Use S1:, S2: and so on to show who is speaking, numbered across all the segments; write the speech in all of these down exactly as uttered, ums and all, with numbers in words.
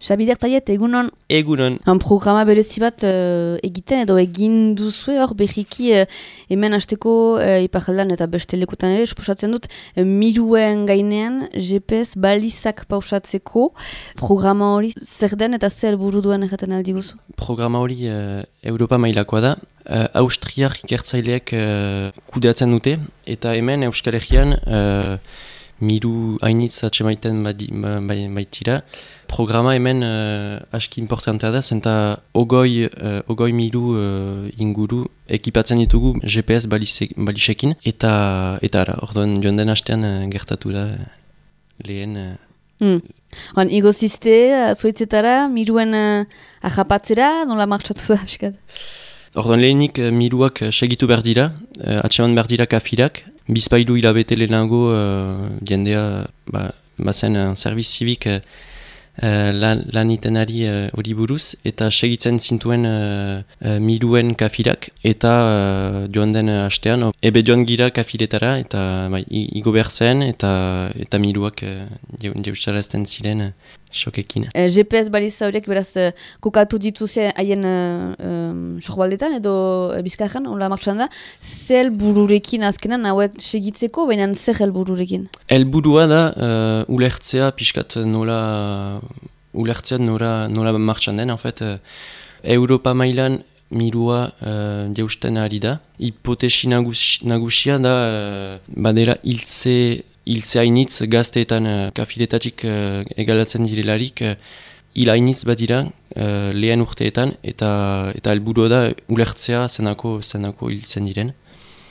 S1: Xabider Taiet, egunon.
S2: Egunon.
S1: Han programa berezi bat uh, egiten edo egin duzue hor berriki uh, hemen hasteko uh, iparaldan eta beste lekutan ere esposatzen dut uh, miruen gainean G P S balizak pausatzeko programa hori zer den eta zer helburu duen erraten aldi guzu?
S2: Programa hori uh, Europa mailakoa da. Uh, Austriar ikertzaileak uh, kudeatzen dute eta hemen Euskal Herrian uh, miru hainitz atxemaiten baitira. Programa hemen uh, aski importantea da, zenta ogoi, uh, ogoi miru uh, inguru ekipatzen ditugu G P S balisekin, eta eta ara, orduan joan den hastean uh, gertatu da lehen... Uh,
S1: mm. Han, igozizte, zuetzetara, miruen uh, ahapatzera, nola martxatu da, piskat?
S2: Orduan lehenik uh, miruak uh, segitu behar dira, uh, atxeman behar dira kafirak, bizpailu hilabete lehenago uh, jendea ba, bazen uh, serviz zibik uh, Uh, lan, lan itenari hori uh, buruz, eta segitzen zintuen uh, uh, miruen kafirak, eta uh, joan den hastean, ebe joan gira kafiretara, eta bai, igo behar zen, eta, eta miruak uh, jeustarazten ziren uh, xokekin.
S1: Uh, G P S baliza horiek beraz uh, kokatu dituzia haien uh, um, sorbaldetan edo uh, bizkarran, hola martxan da, zer bururekin azkenan hauek segitzeko, baina zer helbururekin?
S2: Helburua da uh, ulertzea pixkat nola ulertzea nola, nola martxan den, en fait, uh, Europa mailan mirua uh, jeusten ari da. Hipotesi nagus, nagusia da uh, badera hiltze hiltze hainitz gazteetan uh, kafiletatik uh, egalatzen direlarik uh, hil hainitz badira uh, lehen urteetan eta eta helburua da ulertzea zenako zenako hiltzen diren.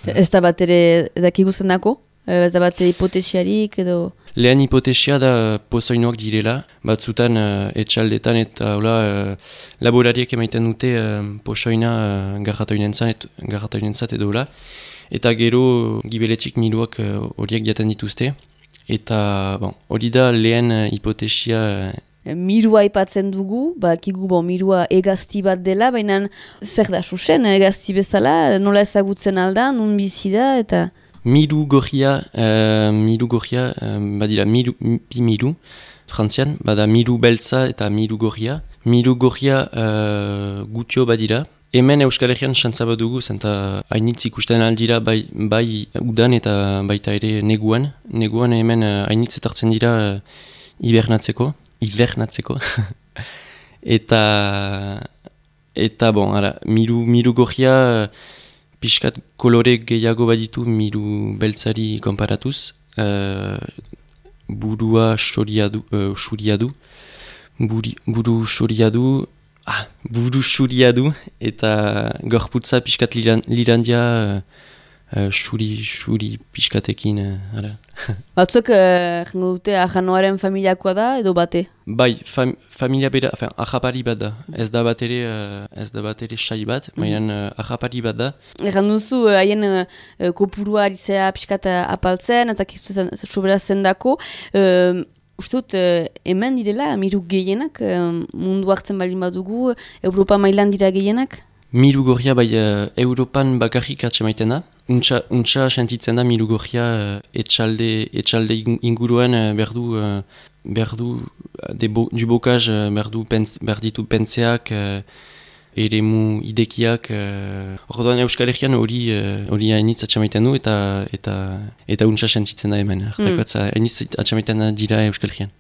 S1: Ez da bat ere dakigu zenako? Ez da bat hipotesiarik edo...
S2: Lehen hipotesia da pozoinoak direla, batzutan uh, etxaldetan eta hola, uh, laborariek emaiten dute uh, pozoina uh, garratoinentzat edo hola. Eta gero gibeletik miruak horiek uh, jaten dituzte. Eta bon, hori da lehen uh, hipotesia... Uh,
S1: Mirua aipatzen dugu, bakigu bon, mirua egazti bat dela, baina zer da susen egazti bezala, nola ezagutzen alda, nun bizi da eta...
S2: Miru gorria, uh, miru gorria, uh, badira miru, pi miru, frantzian, bada miru beltza eta miru gorria. Miru gorria uh, gutio badira. Hemen Euskal Herrian xantza bat dugu, zenta hainitz ikusten aldira bai, bai udan eta baita ere neguan. Neguan hemen uh, hainitz etartzen dira uh, hibernatzeko, hibernatzeko. eta, eta bon, ara, miru, miru gorria... Uh, Piskat kolore gehiago baditu miru beltzari konparatuz. Uh, burua xuria du, uh, xuria du. Buri, buru xuria du. Ah, buru xuria du. Eta gorputza piskat liran, lirandia uh, xuri, xuri piskatekin. Uh,
S1: Batzuk, jengo uh, dute, ahanoaren familiakoa da edo bate?
S2: Bai, fam, familia bera, enfin, ahapari bat da. Ez da bat ere, uh, ez da bat ere sai bat, baina mm -hmm. uh, ahapari bat da.
S1: Egan duzu, haien uh, uh, kopurua aritzea piskat uh, apaltzen, ezak sobera zendako. Uh, Uste dut, uh, hemen direla, miru gehienak, uh, mundu hartzen baldin badugu, Europa mailan dira gehienak?
S2: Miru gorria bai uh, Europan bakarrik atxemaiten da. Untxa, untxa sentitzen da miru gorria uh, etxalde, etxalde inguruan uh, berdu, uh, berdu bo, du bokaz uh, berdu pens, berditu pentseak, uh, eremu idekiak. Uh, Orduan Euskal Herrian hori hori uh, hainitz atxemaiten du eta eta eta untxa sentitzen da hemen. Artakotza mm. hainitz atxemaiten dira Euskal Herrian.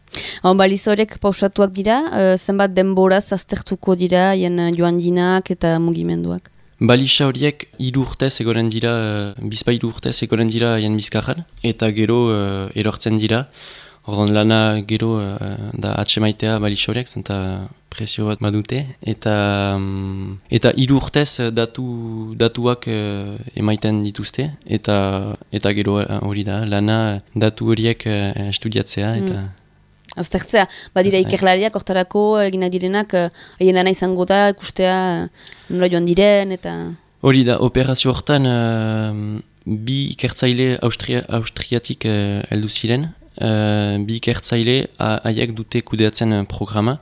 S1: On, baliza horiek pausatuak dira, uh, zenbat denboraz aztertuko dira haien uh, joan dinak eta mugimenduak?
S2: Baliza horiek hiru urtez egoren dira, uh, bizpa hiru urtez egoren dira haien bizkarran, eta gero uh, erortzen dira. Orduan lana gero uh, da atxemaitea baliza horiek, zenta presio bat badute. Eta um, eta hiru urtez datu, datuak uh, emaiten dituzte, eta eta gero hori da, lana datu horiek uh, estudiatzea. Eta... Mm.
S1: Aztertzea, badira ikerlariak, hortarako egina direnak, haien lana izango da, ikustea nola joan diren, eta...
S2: Hori da, operazio hortan uh, bi ikertzaile Austria, Austriatik uh, heldu ziren, uh, bi ikertzaile haiek dute kudeatzen programa,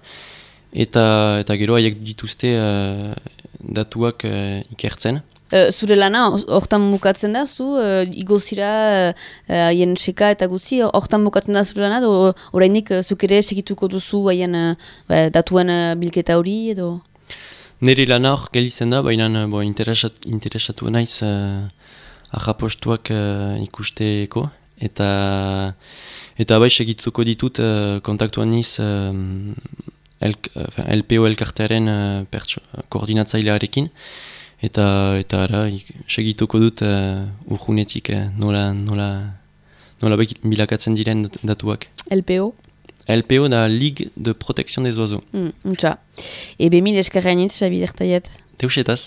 S2: eta eta gero haiek dituzte uh, datuak uh, ikertzen.
S1: Uh, zure lana, hortan bukatzen da, zu, uh, igozira, haien uh, seka eta guzi, hortan bukatzen da zure lana, edo orainik uh, zuk ere segituko duzu haien uh, datuen uh, bilketa hori, edo?
S2: Nire lana hor gelitzen da, baina bo, interesat, interesatu naiz uh, ahapostuak uh, ikusteko, eta eta bai segituko ditut uh, kontaktuan niz uh, L P O elkartearen uh, pertso, koordinatzailearekin, eta eta ara segituko dut uh, urjunetik uh, nola, nola, nola bilakatzen diren datuak.
S1: L P O?
S2: L P O da Ligue de Protection des Oiseaux.
S1: Mm, Untsa. Ebe mil eskerrainitz, Xabi Dertaiet.
S2: Teuxetaz.